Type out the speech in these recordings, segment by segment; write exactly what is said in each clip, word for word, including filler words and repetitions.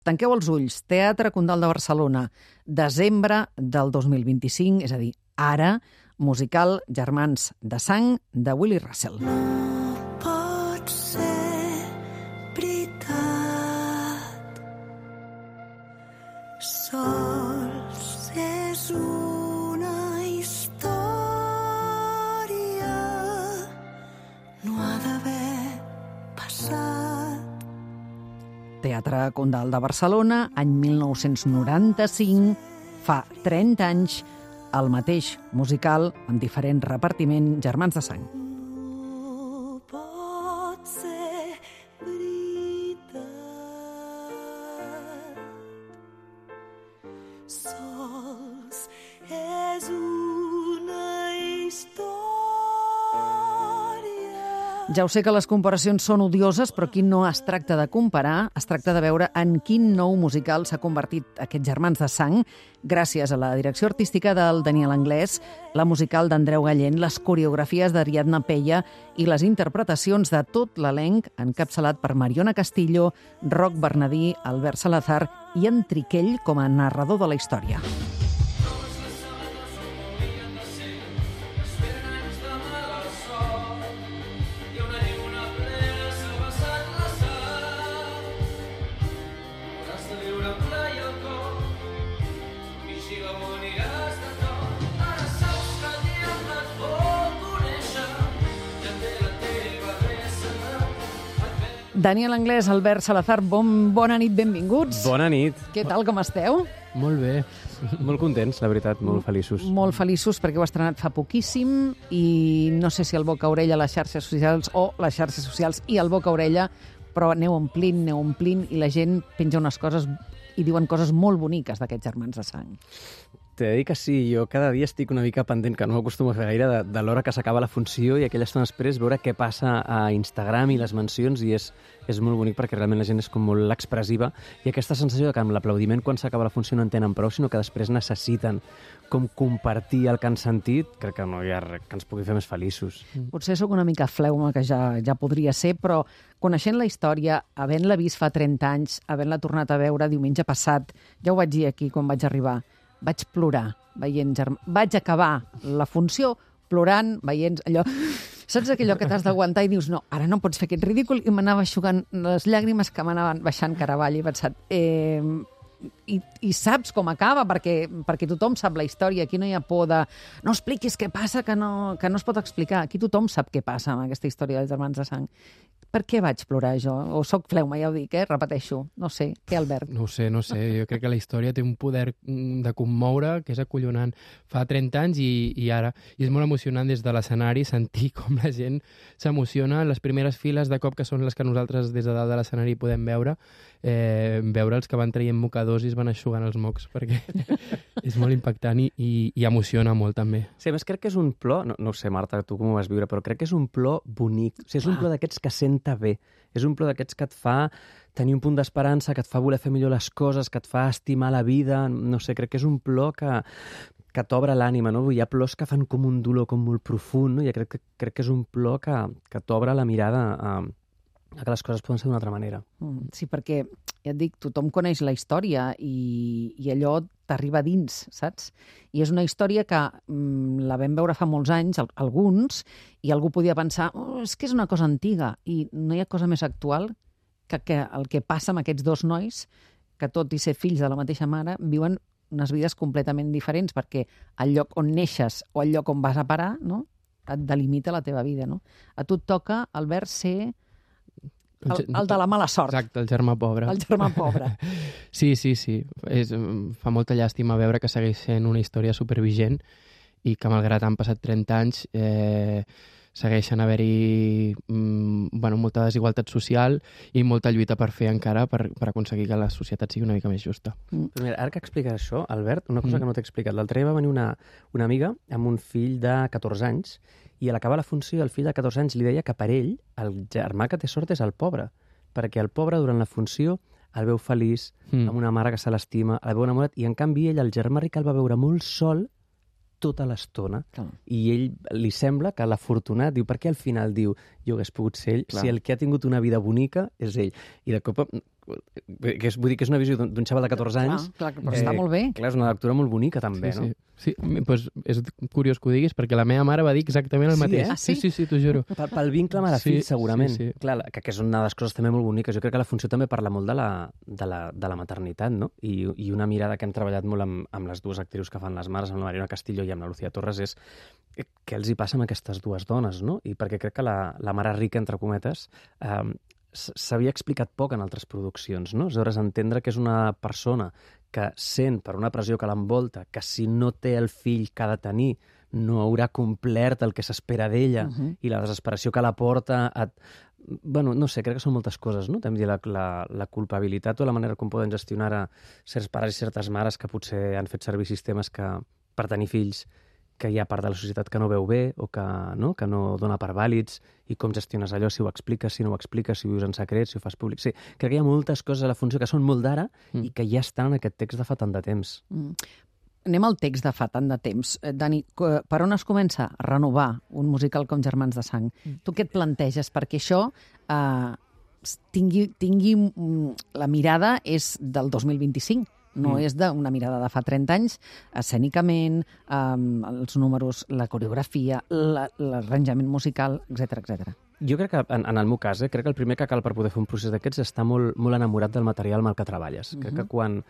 Tanqueu els ulls. Teatre Condal de Barcelona, desembre del dos mil vint-i-cinc, és a dir, ara, musical Germans de sang de Willy Russell. No pot ser veritat. Sols és una història. No ha d'haver passat. Teatre Condal de Barcelona, any mil nou-cents noranta-cinc, fa trenta anys, el mateix musical amb diferent repartiment, Germans de sang. No pot ser veritat. Sols és una història. Ja ho sé que les comparacions són odioses, però aquí no es tracta de comparar, es tracta de veure en quin nou musical s'ha convertit aquests Germans de sang, gràcies a la direcció artística del Daniel Anglès, la musical d'Andreu Gallent, les coreografies d'Ariadna Peya i les interpretacions de tot l'elenc encapçalat per Mariona Castillo, Roc Bernadí, Albert Salazar i en Triquell com a narrador de la història. Daniel Anglès, Albert Salazar, bon, bona nit, benvinguts. Bona nit. Què tal, com esteu? Molt bé. Molt contents, la veritat, molt feliços. Molt feliços perquè ho ha estrenat fa poquíssim i no sé si el boca-orella a les xarxes socials o les xarxes socials i el boca-orella, però aneu omplint, aneu omplint i la gent penja unes coses i diuen coses molt boniques d'aquests Germans de sang. T'he de dir que sí, jo cada dia estic una mica pendent, que no m'acostumo a fer gaire, de, de l'hora que s'acaba la funció i aquella estona després veure què passa a Instagram i les mencions, i és, és molt bonic perquè realment la gent és com molt expressiva i aquesta sensació de que amb l'aplaudiment quan s'acaba la funció no en tenen prou, sinó que després necessiten com compartir el que han sentit, crec que no hi ha res que ens pugui fer més feliços. Mm. Potser sóc una mica fleuma, que ja, ja podria ser, però coneixent la història, havent-la vist fa trenta anys, havent-la tornat a veure diumenge passat, ja ho vaig dir aquí quan vaig arribar, vaig plorar veient Germans. Vaig acabar la funció plorant, veient allò... Saps aquellò que t'has d'aguantar i dius no, ara no pots fer aquest ridícul, i m'anava eixugant les llàgrimes que m'anaven baixant cara avall i he pensat... Eh, i, i saps com acaba, perquè, perquè tothom sap la història, aquí no hi ha por de no expliquis què passa, que no, que no es pot explicar, aquí tothom sap què passa amb aquesta història dels Germans de sang. Per què vaig plorar jo? O soc fleuma, ja ho dic, eh? Repeteixo. No sé. Què, Albert? No ho sé, no ho sé. Jo crec que la història té un poder de commoure que és acollonant. Fa trenta anys i, i ara. I és molt emocionant des de l'escenari sentir com la gent s'emociona. Les primeres files de cop, que són les que nosaltres des de dalt de l'escenari podem veure, eh, veure els que van traient mocadors i es van eixugant els mocs, perquè és molt impactant i, i, i emociona molt també. Sí, a més crec que és un plor, no, no ho sé, Marta, tu com ho vas viure, però crec que és un plor bonic. O sigui, és un plor d'aquests que senta bé. És un plor d'aquests que et fa tenir un punt d'esperança, que et fa voler fer millor les coses, que et fa estimar la vida. No sé, crec que és un plor que, que t'obre l'ànima, no? Hi ha plors que fan com un dolor com molt profund, no? I crec que, crec que és un plor que, que t'obre la mirada a, a que les coses poden ser d'una altra manera. Mm, sí, perquè, ja et dic, tothom coneix la història i, i allò t'arriba dins, saps? I és una història que mm, la vam veure fa molts anys, alguns, i algú podia pensar, oh, és que és una cosa antiga, i no hi ha cosa més actual que, que el que passa amb aquests dos nois, que tot i ser fills de la mateixa mare, viuen unes vides completament diferents, perquè el lloc on neixes o el lloc on vas a parar, no?, et delimita la teva vida, no? A tu et toca, Albert, ser el, el de la mala sort. Exacte, el germà pobre. El germà pobre. Sí, sí, sí. És, fa molta llàstima veure que segueix sent una història supervigent i que, malgrat han passat trenta anys, eh, segueixen haver-hi mm, bueno, molta desigualtat social i molta lluita per fer encara per, per aconseguir que la societat sigui una mica més justa. Mm. Però mira, ara que expliques això, Albert, una cosa mm. que no t'he explicat. L'altre dia va venir una, una amiga amb un fill de catorze anys i a l'acabar la funció el fill de catorze anys li deia que per ell el germà que té sort és el pobre, perquè el pobre durant la funció el veu feliç, mm. amb una mare que se l'estima, el veu enamorat, i en canvi ell, el germà ric, el va veure molt sol tota l'estona. Clar. I ell li sembla que l'afortunat diu, per què al final diu jo hagués pogut ser ell, Clar. Si el que ha tingut una vida bonica és ell. I de cop que és, vull dir que és una visió d'un d'un xaval de catorze anys. Clar, clar, però està molt bé. Clar, és una lectura molt bonica, també, sí, no? sí. Sí, pues és curiós que ho diguis, perquè la meva mare va dir exactament el Sí, mateix. eh? Ah, sí? Sí, sí, sí, t'ho juro. Pel, pel vincle mare-fill, Sí, segurament. sí, sí. Clar, que, que és una de les coses també molt boniques. Jo crec que la funció també parla molt de la, de la, de la maternitat, no? I, I una mirada que hem treballat molt amb, amb les dues actrius que fan les mares, amb la Mariona Castillo i amb la Lucía Torres, és què els hi passa amb aquestes dues dones, no? I perquè crec que la, la mare rica, entre cometes, eh, s'havia explicat poc en altres produccions, no? Aleshores, entendre que és una persona que sent per una pressió que l'envolta, que si no té el fill que ha de tenir, no haurà complert el que s'espera d'ella, Uh -huh. i la desesperació que la porta a... Bueno, no sé, crec que són moltes coses, no? També la, la, la culpabilitat o la manera com poden gestionar a certs pares i certes mares que potser han fet servir sistemes que, per tenir fills, que hi ha part de la societat que no veu bé o que no, que no dona per vàlids, i com gestiones allò, si ho expliques, si no ho expliques, si ho vius en secret, si ho fas públic. Sí, crec que hi ha moltes coses a la funció que són molt d'ara Mm. i que ja estan en aquest text de fa tant de temps. Mm. Anem al text de fa tant de temps. Eh, Dani, co- per on es comença a renovar un musical com Germans de Sang? Tu què et planteges? Perquè això eh, s- tingui, tingui... mm, la mirada és del dos mil vint-i-cinc, no Mm. és d'una mirada de fa trenta anys, escènicament, eh, els números, la coreografia, la- l'arranjament musical, etcètera, etcètera. Jo crec que, en, en el meu cas, eh, crec que el primer que cal per poder fer un procés d'aquests és estar molt, molt enamorat del material amb el que treballes. Uh -huh. Crec que quan,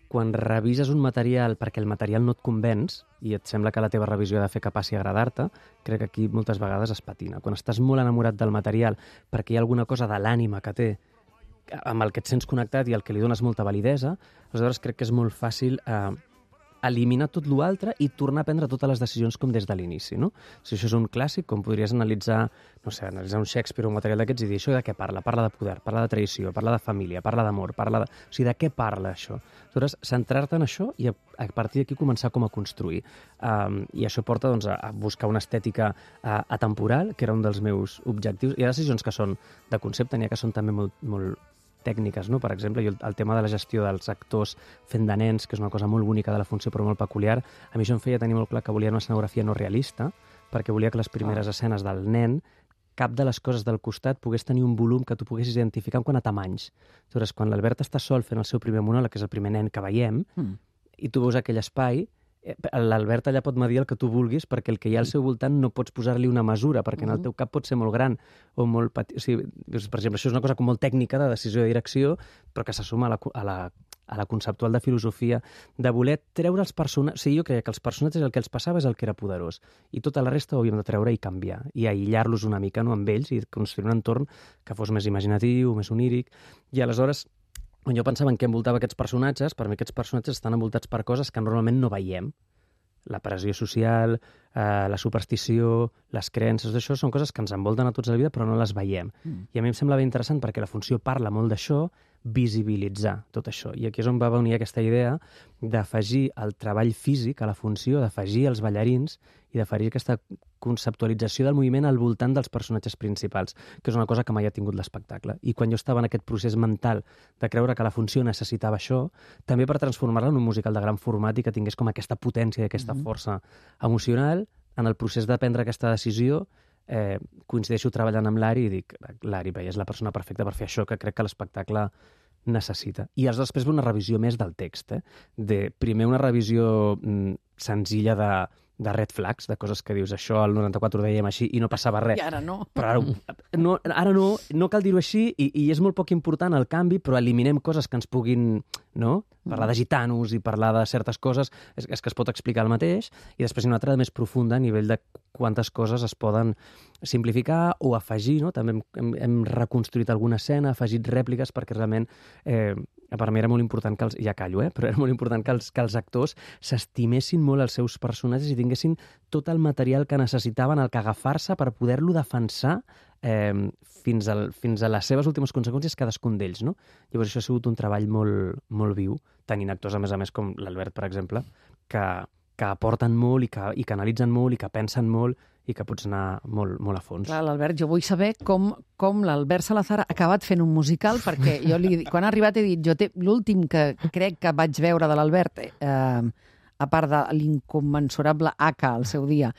quan revises un material perquè el material no et convenç i et sembla que la teva revisió ha de fer que passi a agradar-te, crec que aquí moltes vegades es patina. Quan estàs molt enamorat del material perquè hi ha alguna cosa de l'ànima que té amb el que et sents connectat i al que li dones molta validesa, aleshores crec que és molt fàcil eh, eliminar tot l'altre i tornar a prendre totes les decisions com des de l'inici, no? Si això és un clàssic, com podries analitzar, no sé, analitzar un Shakespeare o un material d'aquests i dir això de què parla? Parla de poder, parla de traïció, parla de família, parla d'amor, parla de... O sigui, de què parla això? Aleshores, centrar-te en això i a, a partir d'aquí començar com a construir. Um, I això porta doncs, a, a buscar una estètica uh, atemporal, que era un dels meus objectius. Hi ha decisions que són de concepte, n'hi ha que són també molt, molt tècniques, no? Per exemple, jo, el tema de la gestió dels actors fent de nens, que és una cosa molt bonica de la funció però molt peculiar, a mi això em feia tenir molt clar que volia una escenografia no realista, perquè volia que les primeres ah. escenes del nen, cap de les coses del costat pogués tenir un volum que tu poguessis identificar en quant a tamanys. Aleshores, quan l'Albert està sol fent el seu primer monòleg, que és el primer nen que veiem, mm. i tu veus aquell espai, l'Albert allà pot medir el que tu vulguis perquè el que hi ha al seu voltant no pots posar-li una mesura, perquè en el teu cap pot ser molt gran o molt petit. O sigui, per exemple, això és una cosa com molt tècnica de decisió de direcció, però que s'assuma a la, a la, a la conceptual de filosofia, de voler treure els personatges... O sigui, jo crec que els personatges el que els passava és el que era poderós, i tota la resta ho havíem de treure i canviar, i aïllar-los una mica, no, amb ells, i construir un entorn que fos més imaginatiu, més oníric, i aleshores... Quan jo pensava en què envoltava aquests personatges, per mi aquests personatges estan envoltats per coses que normalment no veiem. La pressió social, eh, la superstició, les creences, això són coses que ens envolten a tots a la vida però no les veiem. Mm. I a mi em sembla ben interessant perquè la funció parla molt d'això, visibilitzar tot això. I aquí és on va venir aquesta idea d'afegir el treball físic a la funció, d'afegir els ballarins i d'afegir aquesta conceptualització del moviment al voltant dels personatges principals, que és una cosa que mai ha tingut l'espectacle. I quan jo estava en aquest procés mental de creure que la funció necessitava això, també per transformar-la en un musical de gran format i que tingués com aquesta potència i aquesta mm-hmm. força emocional, en el procés de prendre aquesta decisió, eh, coincideixo treballant amb l'Ari i dic, l'Ari, és la persona perfecta per fer això que crec que l'espectacle necessita. I després ve una revisió més del text, eh? De, primer una revisió mm, senzilla de, de red flags, de coses que dius, això al noranta-quatre ho dèiem així i no passava res. I ara no. Però ara no, ara no, no cal dir-ho així i, i és molt poc important el canvi, però eliminem coses que ens puguin, no? Parlar de gitanos i parlar de certes coses, és, és que es pot explicar el mateix, i després hi ha una altra més profunda a nivell de quantes coses es poden simplificar o afegir, no? També hem, hem, hem reconstruït alguna escena, afegit rèpliques, perquè realment eh, per mi era molt important que els, ja callo, eh? Però era molt important que els, que els actors s'estimessin molt els seus personatges i tinguessin tot el material que necessitaven, el que agafar-se per poder-lo defensar eh, fins, al, fins a les seves últimes conseqüències cadascun d'ells, no? Llavors això ha sigut un treball molt, molt viu, tenint actors, a més a més, com l'Albert, per exemple, que, que aporten molt i que, i que analitzen molt i que pensen molt i que pots anar molt, molt a fons. Clar, l'Albert, jo vull saber com, com l'Albert Salazar ha acabat fent un musical, perquè jo li, quan ha arribat he dit, jo té l'últim que crec que vaig veure de l'Albert, eh, a part de l'incommensurable Aka al seu dia,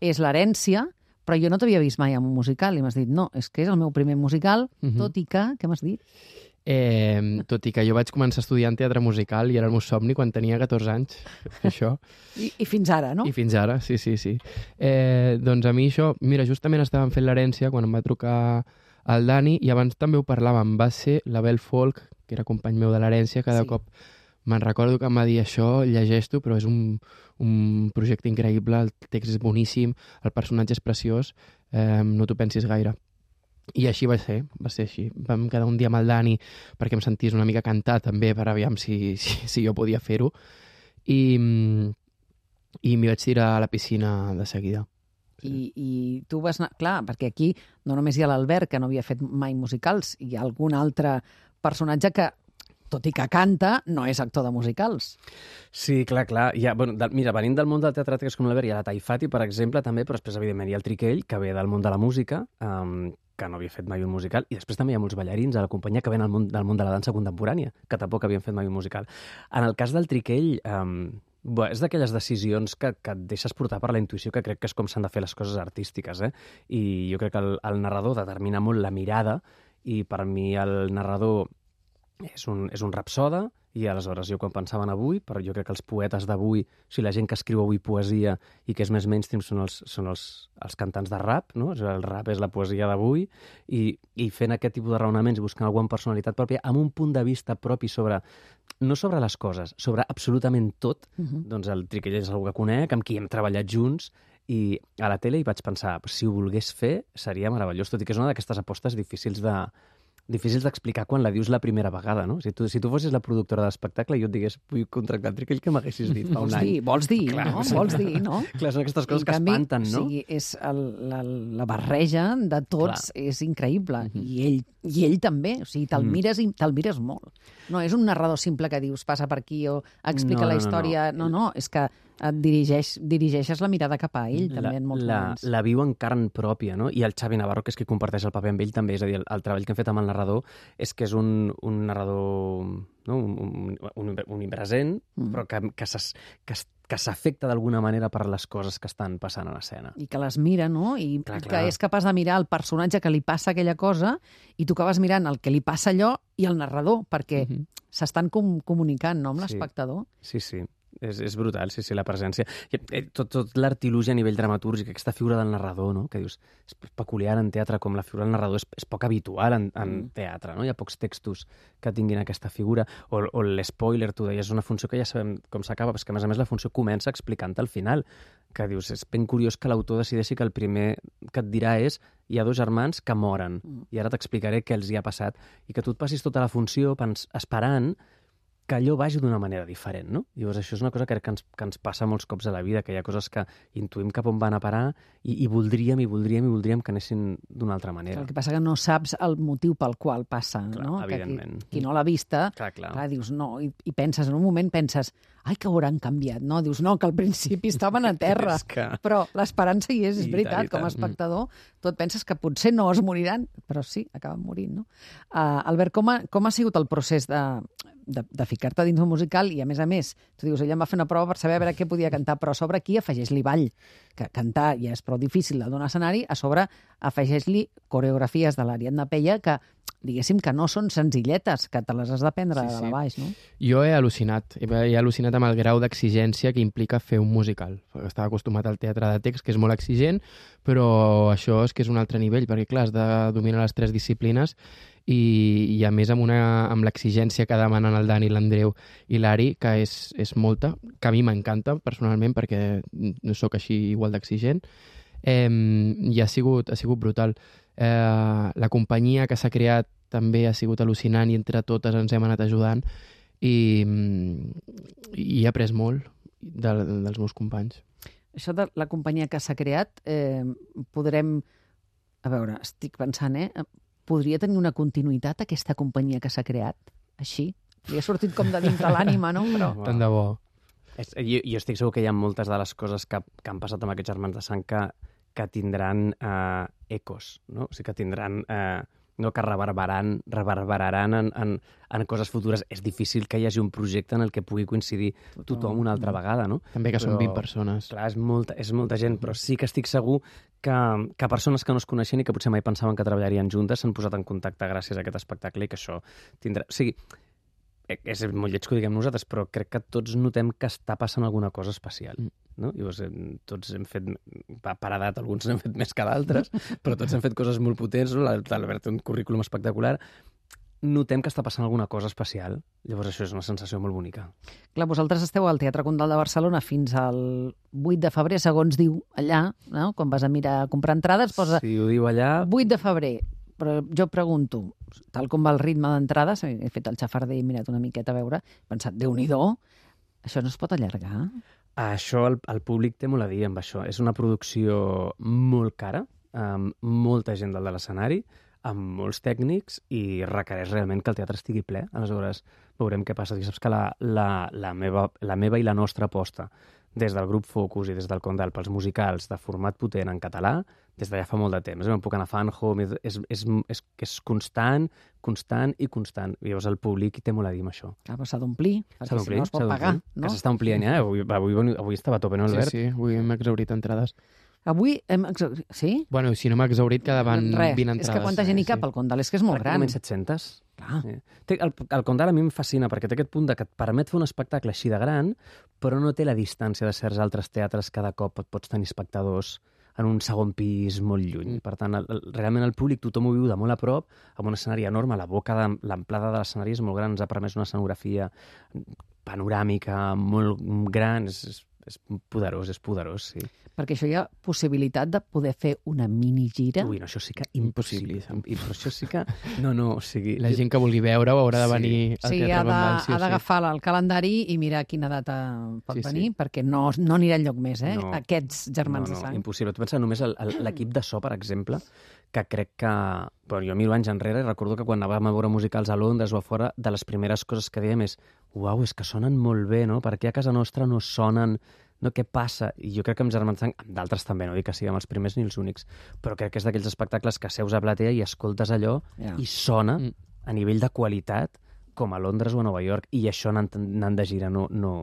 és l'Herència, però jo no t'havia vist mai en un musical, i m'has dit, no, és que és el meu primer musical, uh-huh. tot i que, què m'has dit? Eh, tot i que jo vaig començar estudiant teatre musical i era el meu somni quan tenia catorze anys, fer això. I, I fins ara, no? I fins ara, sí, sí, sí. Eh, doncs a mi això... Mira, justament estàvem fent l'herència quan em va trucar el Dani i abans també ho parlàvem. Va ser l'Abel Folk, que era company meu de l'herència, cada Sí. cop me'n recordo que em va dir això, llegeix-t'ho, però és un, un projecte increïble, el text és boníssim, el personatge és preciós, eh, no t'ho pensis gaire. I així va ser, va ser així. Vam quedar un dia amb el Dani perquè em sentís una mica cantar també per aviam si, si, si jo podia fer-ho. I, i m'hi vaig tirar a la piscina de seguida. I, I tu vas anar... Clar, perquè aquí no només hi ha l'Albert, que no havia fet mai musicals, hi ha algun altre personatge que, tot i que canta, no és actor de musicals. Sí, clar, clar. Ja, bueno, de, mira, venint del món del teatre que és com l'Albert, hi ha la Taifati, per exemple, també, però després, evidentment, hi ha el Triquell, que ve del món de la música, um, que no havia fet mai un musical, i després també hi ha molts ballarins a la companyia que venen del món, del món de la dansa contemporània, que tampoc havien fet mai un musical. En el cas del Triquell, um, bé, és d'aquelles decisions que, que et deixes portar per la intuïció, que crec que és com s'han de fer les coses artístiques, eh? I jo crec que el, el narrador determina molt la mirada, i per mi el narrador és un, és un rapsoda, i aleshores jo quan pensava en avui, però jo crec que els poetes d'avui, o sigui, la gent que escriu avui poesia i que és més mainstream són els, són els, els cantants de rap, no? O sigui, el rap és la poesia d'avui, i, i fent aquest tipus de raonaments i buscant alguna personalitat pròpia amb un punt de vista propi sobre, no sobre les coses, sobre absolutament tot, Uh-huh. doncs el Triquell és algú que conec, amb qui hem treballat junts, i a la tele hi vaig pensar, si ho volgués fer seria meravellós, tot i que és una d'aquestes apostes difícils de difícils d'explicar quan la dius la primera vegada, no? Si tu, si tu fossis la productora de l'espectacle i jo et digués, vull contractar el Triquell, què m'haguessis dit fa un Vols any? dir, vols dir, Clar, no? sí. Vols dir, no? Clar, són aquestes coses En que canvi, espanten, no? O sigui, és el, la, la barreja de tots Clar. és increïble. Mhm. I, ell, I ell també. O sigui, te'l Mm. mires i te'l mires molt. No és un narrador simple que dius passa per aquí o explica No, la no, no, història. No, no, és que et dirigeix, dirigeixes la mirada cap a ell, també, en molts la, moments. la viu en carn pròpia, no? I el Xavi Navarro, que és qui comparteix el paper amb ell, també. És a dir, el, el treball que hem fet amb el narrador és que és un, un narrador, no? un, un, un, un impresent, Mm. però que, que s'es- que es- que s'afecta d'alguna manera per les coses que estan passant a l'escena. I que les mira, no? I Clar, que clar. és capaç de mirar el personatge que li passa aquella cosa i tu acabes mirant el que li passa allò i el narrador, perquè Mhm. s'estan com comunicant, no?, amb Sí. l'espectador. Sí, sí. És, és brutal, sí, sí, la presència. I, eh, tot tot l'artilugi a nivell dramatúrgic, aquesta figura del narrador, no? Que dius, és peculiar en teatre, com la figura del narrador és, és poc habitual en, en Mm. teatre, no? Hi ha pocs textos que tinguin aquesta figura. O, o l'espoiler, tu deies, és una funció que ja sabem com s'acaba, però és que, a més a més, la funció comença explicant-te al final, que dius, és ben curiós que l'autor decideixi que el primer que et dirà és hi ha dos germans que moren, Mm. i ara t'explicaré què els hi ha passat, i que tu et passis tota la funció pens, esperant que allò vagi d'una manera diferent, no? Llavors, això és una cosa que crec que ens, que ens passa molts cops a la vida, que hi ha coses que intuïm cap on van a parar i, i voldríem, i voldríem, i voldríem que anessin d'una altra manera. El que passa que no saps el motiu pel qual passa, Clar, no? Que evidentment. qui, qui no l'ha vista, Clar, clar. clar, dius no, i, i penses, en un moment penses, ai, que hauran canviat, no? Dius, no, que al principi estaven a terra, És que... però l'esperança hi és, és I veritat, tant, i com a tant. espectador, tu et penses que potser no es moriran, però sí, acaben morint, no? Uh, Albert, com ha, com ha sigut el procés de, de, de ficar-te dins un musical i, a més a més, tu dius, ella em va fer una prova per saber a veure què podia cantar, però a sobre aquí afegeix-li ball, que cantar ja és prou difícil de donar escenari, a sobre afegeix-li coreografies de l'Ariadna Peia que, diguéssim, que no són senzilletes, que te les has d'aprendre Sí, de sí. la baix, no? Jo he al·lucinat, he, he al·lucinat amb el grau d'exigència que implica fer un musical. Estava acostumat al teatre de text, que és molt exigent, però això és que és un altre nivell, perquè clar, has de dominar les tres disciplines i, i a més amb, una, amb l'exigència que demanen el Dani, l'Andreu i l'Ari, que és, és molta, que a mi m'encanta personalment perquè no sóc així igual d'exigent, eh, i ha sigut, ha sigut brutal. Eh, la companyia que s'ha creat també ha sigut al·lucinant i entre totes ens hem anat ajudant i, i he après molt de, dels meus companys. Això de la companyia que s'ha creat, eh, podrem... A veure, estic pensant, eh? Podria tenir una continuïtat aquesta companyia que s'ha creat? Així? Li ha sortit com de dintre l'ànima, no? Però... Wow. Tant de bo. És, jo, jo estic segur que hi ha moltes de les coses que, que han passat amb aquests germans de sang que, que tindran eh, ecos, no? O sigui, que tindran eh, no, que reverberaran, reverberaran en, en, en coses futures. És difícil que hi hagi un projecte en el que pugui coincidir tothom una altra vegada, no? També que Però, són vint persones. Clar, és molta, és molta gent, però sí que estic segur que, que persones que no es coneixen i que potser mai pensaven que treballarien juntes s'han posat en contacte gràcies a aquest espectacle i que això tindrà... O sigui, és molt lleig que ho diguem nosaltres, però crec que tots notem que està passant alguna cosa especial. No? Llavors, tots hem fet, per edat, alguns n'hem fet més que d'altres, però tots hem fet coses molt potents, no? L'Albert té un currículum espectacular. Notem que està passant alguna cosa especial. Llavors, això és una sensació molt bonica. Clar, vosaltres esteu al Teatre Condal de Barcelona fins al vuit de febrer, segons diu allà, no? Quan vas a mirar a comprar entrades, posa... Si ho diu allà... vuit de febrer. Però jo pregunto, tal com va el ritme d'entrades, he fet el xafarder i he mirat una miqueta a veure, he pensat, Déu-n'hi-do, això no es pot allargar? Això el, el públic té molt a dir amb això. És una producció molt cara, amb molta gent dalt de l'escenari, amb molts tècnics i requereix realment que el teatre estigui ple. Aleshores, veurem què passa. I saps que la, la, la, meva, la meva i la nostra aposta des del grup Focus i des del Condal pels musicals de format potent en català, des d'allà fa molt de temps. No puc anar a Fan Home, és, és, és, és constant, constant i constant. I llavors el públic té molt a dir amb això. Clar, però s'ha d'omplir, perquè si no es pot pagar. No? Que s'està omplint, eh? Avui, avui, avui estava a tope, no, Albert? Sí, sí, avui hem exhaurit entrades. Avui hem exaurit... Sí? Bueno, si no m'ha exaurit, quedaven Res, vint entrades. és que quanta gent hi cap sí. al Condal? És que és molt gran. Pràcticament set-centes. Clar. Sí. Té, el, el Condal a mi em fascina perquè té aquest punt de que et permet fer un espectacle així de gran, però no té la distància de certs altres teatres. Cada cop et pots tenir espectadors en un segon pis molt lluny. Mm. Per tant, el, el, realment el públic tothom ho viu de molt a prop, amb un escenari enorme. La boca, de, l'amplada de l'escenari és molt gran, ens ha permès una escenografia panoràmica molt gran. És, és, és poderós, és poderós, sí. Perquè això hi ha possibilitat de poder fer una minigira. Ui, no, això sí que impossible. Impossible. I però això sí que... No, no, o sigui... La gent que vulgui veure-ho haurà de venir Sí, al sí, Teatre ha de- Condal. Sí, ha d'agafar el calendari i mirar quina data pot Sí, sí. venir, perquè no, no anirà enlloc més, eh? No. Aquests germans no, no, de sang. impossible. Tu pensa només el- el- l'equip de so, per exemple, que crec que... Bueno, jo miro anys enrere i recordo que quan anàvem a veure musicals a Londres o a fora, de les primeres coses que dèiem és uau, és que sonen molt bé, no? Per què a casa nostra no sonen... No, què passa? I jo crec que amb Germans Sang, amb d'altres també, no dic que siguem els primers ni els únics, però crec que és d'aquells espectacles que seus a platea i escoltes allò Ja. i sona Mm. a nivell de qualitat com a Londres o a Nova York, i això anant, anant de gira no, no,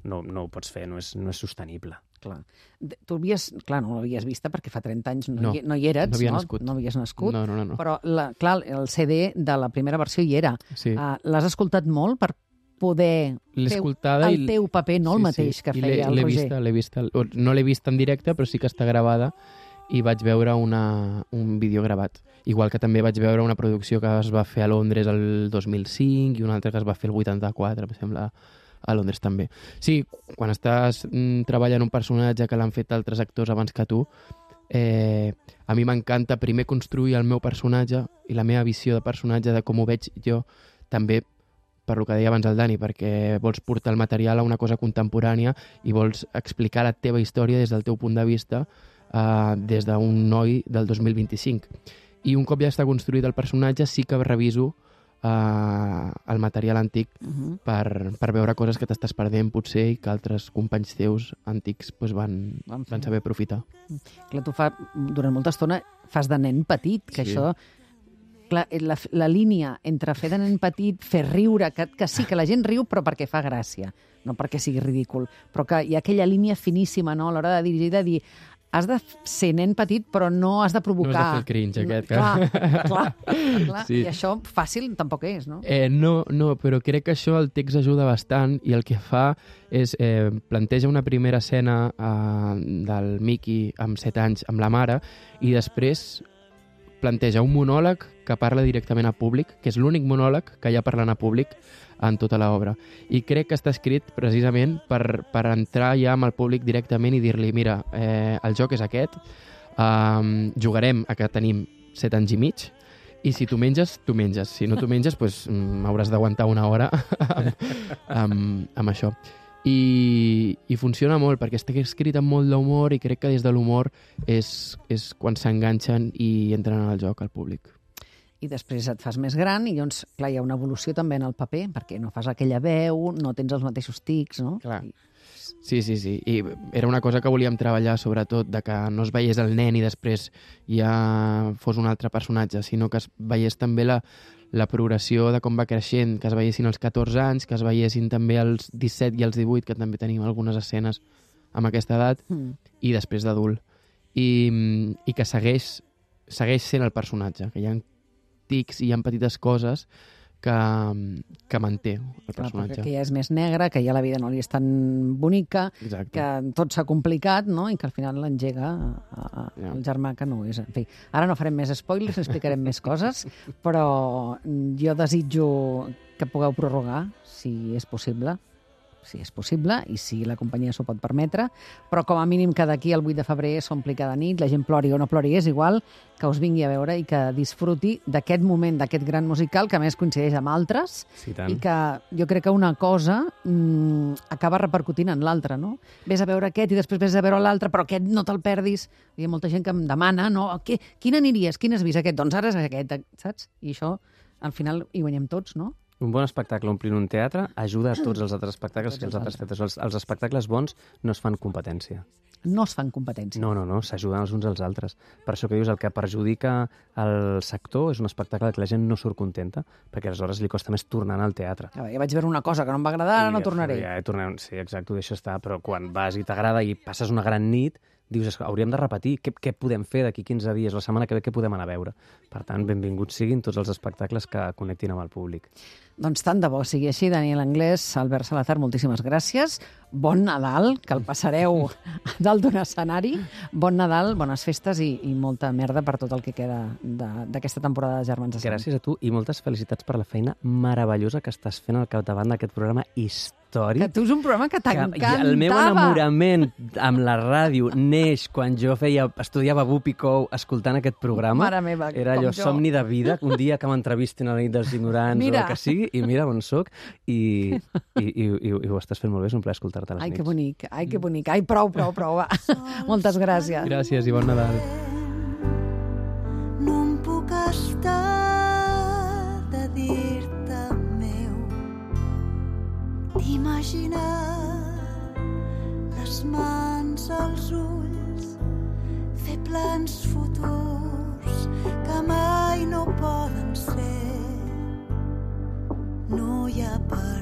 no, no ho pots fer, no és, no és sostenible. Clar. De- Tu havies... Clar, no l'havies vista perquè fa trenta anys no, No, hi, no hi eres, no havia no? nascut. No havies nascut. No, no, no. no. Però, la, clar, el C D de la primera versió hi era. Sí. Uh, L'has escoltat molt per poder L'he fer escoltada el i... teu paper, no el Sí, mateix sí. que I feia l'he- el l'he Roger. Vista, l'he vista, o no l'he vist en directe, però sí que està gravada i vaig veure una, un vídeo gravat. Igual que també vaig veure una producció que es va fer a Londres el dos mil cinc i una altra que es va fer el vuitanta-quatre, em sembla, a Londres també. Sí, quan estàs mm, treballant un personatge que l'han fet altres actors abans que tu, eh, a mi m'encanta primer construir el meu personatge i la meva visió de personatge, de com ho veig jo, també per lo que deia abans el Dani, perquè vols portar el material a una cosa contemporània i vols explicar la teva història des del teu punt de vista, eh, des d'un noi del dos mil vint-i-cinc. I un cop ja està construït el personatge, sí que reviso eh, el material antic Uh -huh. per, per veure coses que t'estàs perdent, potser, i que altres companys teus antics pues, van, Van fer. van saber aprofitar. Clar, tu fa, durant molta estona fas de nen petit, que Sí. això... Clar, la, la línia entre fer de nen petit, fer riure, que, que sí, que la gent riu, però perquè fa gràcia, no perquè sigui ridícul. Però que hi ha aquella línia finíssima, no?, a l'hora de dirigir, de dir has de ser nen petit, però no has de provocar... No has de fer el cringe aquest, que- Clar, clar, clar. Sí. I això fàcil tampoc és, no? Eh, no, no, però crec que això el text ajuda bastant i el que fa és eh, planteja una primera escena eh, del Mickey amb set anys amb la mare i després planteja un monòleg que parla directament a públic, que és l'únic monòleg que hi ha parlant a públic en tota l'obra. I crec que està escrit precisament per, per entrar ja amb el públic directament i dir-li, mira, eh, el joc és aquest, eh, jugarem a que tenim set anys i mig, i si tu menges, tu menges. Si no tu menges, pues, mm, hauràs d'aguantar una hora amb, amb, amb això. I, I funciona molt, perquè està escrit amb molt d'humor i crec que des de l'humor és, és quan s'enganxen i entren en el joc al públic. I després et fas més gran i llavors, clar, hi ha una evolució també en el paper, perquè no fas aquella veu, no tens els mateixos tics, no? Clar. I... Sí, sí, sí. I era una cosa que volíem treballar, sobretot, de que no es veiés el nen i després ja fos un altre personatge, sinó que es veiés també la, la progressió de com va creixent, que es veiessin els catorze anys, que es veiessin també els disset i els divuit, que també tenim algunes escenes amb aquesta edat, Mm. i després d'adult. I, I que segueix, segueix sent el personatge, que hi ha tics i hi ha petites coses que, que manté el Clar, personatge. perquè que ja és més negre, que ja la vida no li és tan bonica, Exacte. que tot s'ha complicat, no? I que al final l'engega a- a- Ja. el germà que no és. En fi, ara no farem més spoilers, no explicarem més coses, però jo desitjo que pugueu prorrogar, si és possible, si és possible i si la companyia s'ho pot permetre, però com a mínim que d'aquí al vuit de febrer s'ompli cada nit, la gent plori o no plori, és igual, que us vingui a veure i que disfruti d'aquest moment, d'aquest gran musical, que a més coincideix amb altres, Sí, tant. i que jo crec que una cosa mm, acaba repercutint en l'altra, no? Ves a veure aquest i després ves a veure l'altre, però aquest no te'l perdis. Hi ha molta gent que em demana, no? Què, quin aniries? Quin has vist aquest? Doncs ara és aquest, saps? I això, al final, hi guanyem tots, no? Un bon espectacle omplint un teatre ajuda a tots els altres espectacles Tots que els els altres teatres. Els, els espectacles bons no es fan competència. No es fan competència. No, no, no, s'ajuden els uns als altres. Per això que dius, el que perjudica el sector és un espectacle que la gent no surt contenta, perquè aleshores li costa més tornar al teatre. A veure, ja vaig veure una cosa que no em va agradar, ara no I, tornaré. Ja, tornem, sí, exacte, ho deixo estar, però quan vas i t'agrada i passes una gran nit, dius, "És que hauríem de repetir, què, què podem fer d'aquí quinze dies, la setmana que ve, què podem anar a veure?" Per tant, benvinguts siguin tots els espectacles que connectin amb el públic. Doncs tant de bo sigui així, Daniel Anglès, Albert Salazar, moltíssimes gràcies. Bon Nadal, que el passareu a dalt d'un escenari. Bon Nadal, bones festes i, i molta merda per tot el que queda de- d'aquesta temporada de Germans de Sant. Gràcies a tu i moltes felicitats per la feina meravellosa que estàs fent al capdavant d'aquest programa històric. Que tu és un programa que Que t'encantava. el meu enamorament amb la ràdio neix quan jo feia, estudiava Bupicou escoltant aquest programa. Mare meva, Era com allò jo. somni de vida, un dia que m'entrevistin a la nit dels ignorants Mira. o el que sigui, i mira on soc, i, i, i, i, i ho estàs fent molt bé, és un plaer escoltar-te a les Ai, nits. que bonic, ai, que bonic. Ai, prou, prou, prou, va. Moltes gràcies. Gràcies i bon Nadal. No em puc estar de dir-te meu, d'imaginar les mans als ulls, fer plans futurs que mai no poden ser. No hi ha per